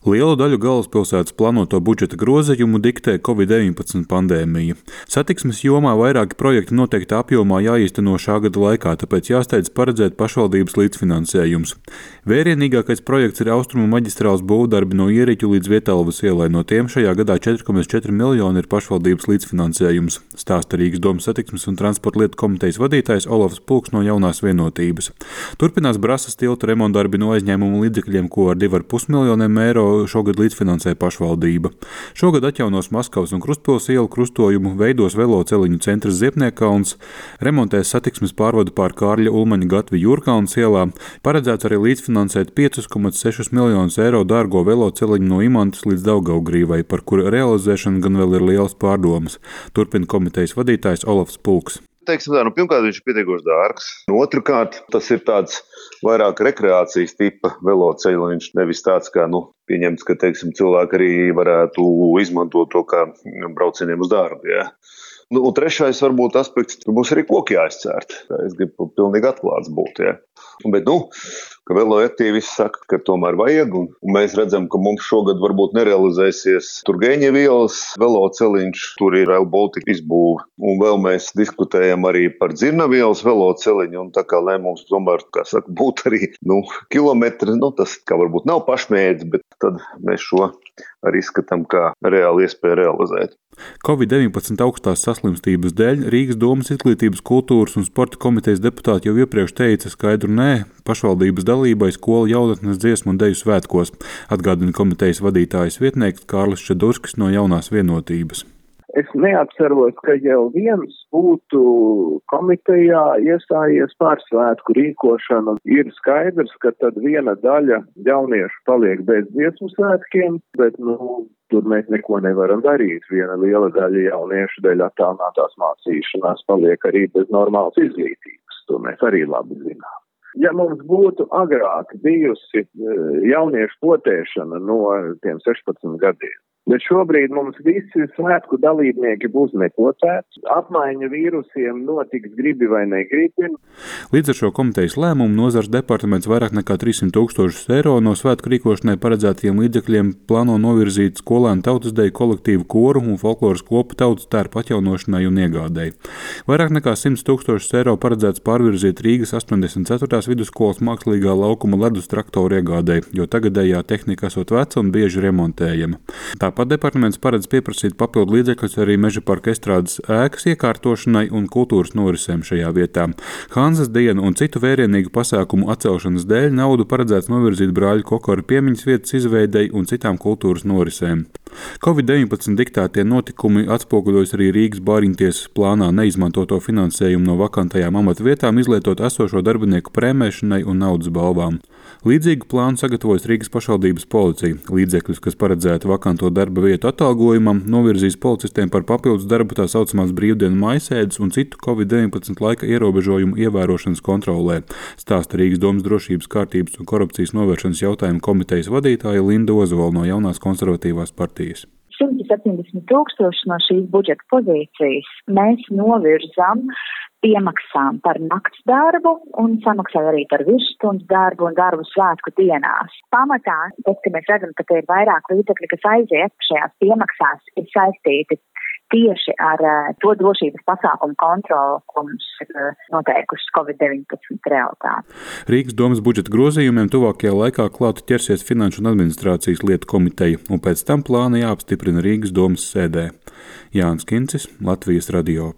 Lielu daļu galvaspilsētas plānoto budžeta grozījumu diktē Covid-19 pandēmija. Satiksmes jomā vairāki projekti noteikta apjomā jāīsteno šā gada laikā, tāpēc jāsteidz paredzēt pašvaldības līdzfinansējums. Vērienīgākais projekts ir Austrumu maģistrāles būvdarbi no Ieriķu līdz Vietālavas ielai. No tiem šajā gadā 4,4 miljoni ir pašvaldības līdzfinansējums, stāsta Rīgas domas satiksmes un transporta lietu komitejas vadītājs Olofs Pulks no Jaunās Vienotības. Turpinās Brasas tilta remontdarbi no aizņēmumu līdzekļiem, ko ar 2,5 miljoniem eiro šogad līdzfinansē pašvaldība. Šogad atjaunos Maskavas un Krustpils ielu krustojumu, veidos veloceliņu centrs Ziepniekalns, remontēs satiksmes pārvadu pār Kārļa Ulmaņa Gatvi Jūrkalns ielā, paredzēts arī līdzfinansēt 5,6 miljonus eiro dārgo veloceliņu no Imantas līdz Daugavgrīvai, par kuru realizēšanu gan vēl ir lielas pārdomas. Turpina komitejas vadītājs Olofs Pulks. Pirmkārt, viņš ir pietiekoši dārgs. Otrkārt, tas ir tāds vairāk rekreācijas tipa veloceliņš, nevis tāds kā, pieņemts, ka, cilvēki arī varētu izmantot to kā braucieniem uz darbu, jā. Un trešais varbūt aspekts, ka mums arī koki jāizcērt. Es gribu pilnīgi atklāts būt, jā. Bet, ka veloaktīvisti saka, ka tomēr vajag, un mēs redzam, ka mums šogad varbūt nerealizēsies Turgeņeva ielas veloceliņš, tur ir Rail Baltica izbūve, un vēl mēs diskutējam arī par Dzirnavu ielas veloceliņu, un tā kā, lai mums tomēr, būtu arī, kilometri, tas kā varbūt nav pašmērķis, bet tad mēs šo arī izskatām kā reāli iespēju realizēt. Covid-19 augstās saslimstības dēļ Rīgas domas izglītības, kultūras un sporta komitejas deputāti jau iepriekš teica skaidru nē pašvaldības dalībai skolu jaunatnes dziesmu un deju svētkos, atgādina komitejas vadītājas vietnieks Kārlis Čedurskis no Jaunās Vienotības. Es neatceros, ka jau viens būtu komitejā iestājies par svētku rīkošanu. Ir skaidrs, ka tad viena daļa jauniešu paliek bez dziesmu svētkiem, bet tur mēs neko nevaram darīt. Viena liela daļa jauniešu dēļ attālinātās mācīšanās paliek arī bez normālas izglītības. To mēs arī labi zinām. Ja mums būtu agrāk bijusi jauniešu potēšana no tiem 16 gadiem, bet šobrīd mums visi svētku dalībnieki būs nepotēti. Apmaiņa vīrusiem notiks gribi vai negribi. Līdz ar šo komitejas lēmumu nozars departaments vairāk nekā 300 000 eiro no svētku rīkošanai paredzētajiem līdzekļiem plāno novirzīt skolēnu tautasdeju kolektīvu koru un folkloras kopu tautas tērpu atjaunošanai un iegādēji. Vairāk nekā 100 000 eiro paredzēts pārvirzīt Rīgas 84. vidusskolas mākslīgā laukuma ledus traktoru iegādēji, jo tagadējā tehnika esot veca un bieži remontējama. Tāpat departaments paredz pieprasīt papildu līdzekļus arī Meža parka estrādes ēkas iekārtošanai un kultūras norisēm šajā vietā. Hanzas dienu un citu vērienīgu pasākumu atcelšanas dēļ naudu paredzēts novirzīt Brāļu Kokaru piemiņas vietas izveidei un citām kultūras norisēm. Covid-19 diktētie notikumi atspoguļojas arī Rīgas bāriņtiesas plānā neizmantoto finansējumu no vakantajām amatvietām izlietot esošo darbinieku prēmēšanai un naudas balvām. Līdzīgu plānu sagatavojas Rīgas pašvaldības policija. Līdzekļus, kas paredzēti vakanto darba vietu atalgojumam, novirzīs policistiem par papildus darbu tā saucamās brīvdienu maisēdes un citu Covid-19 laika ierobežojumu ievērošanas kontrolē, stāsta Rīgas domas drošības, kārtības un korupcijas novēršanas jautājumu komitejas vadītāja Linda Ozola no Jaunās konservatīvās partijas. 170 000 no šīs budžeta pozīcijas mēs novirzam piemaksām par nakts darbu un samaksāju arī par virsstundu darbu un darbu svētku dienās. Pamatā, tad, kad mēs redzam, ka te ir vairāk līdzekļi, kas aiziet šajās piemaksās, ir saistīti tieši ar to drošības pasākumu kontroli, ko mums ir noteikusi Covid-19 realitāte. Rīgas domas budžeta grozījumiem tuvākajā laikā klāt ķersies Finanšu un administrācijas lietu komiteja, un pēc tam plāni jāapstiprina Rīgas domas sēdē. Jānis Kincis, Latvijas radio.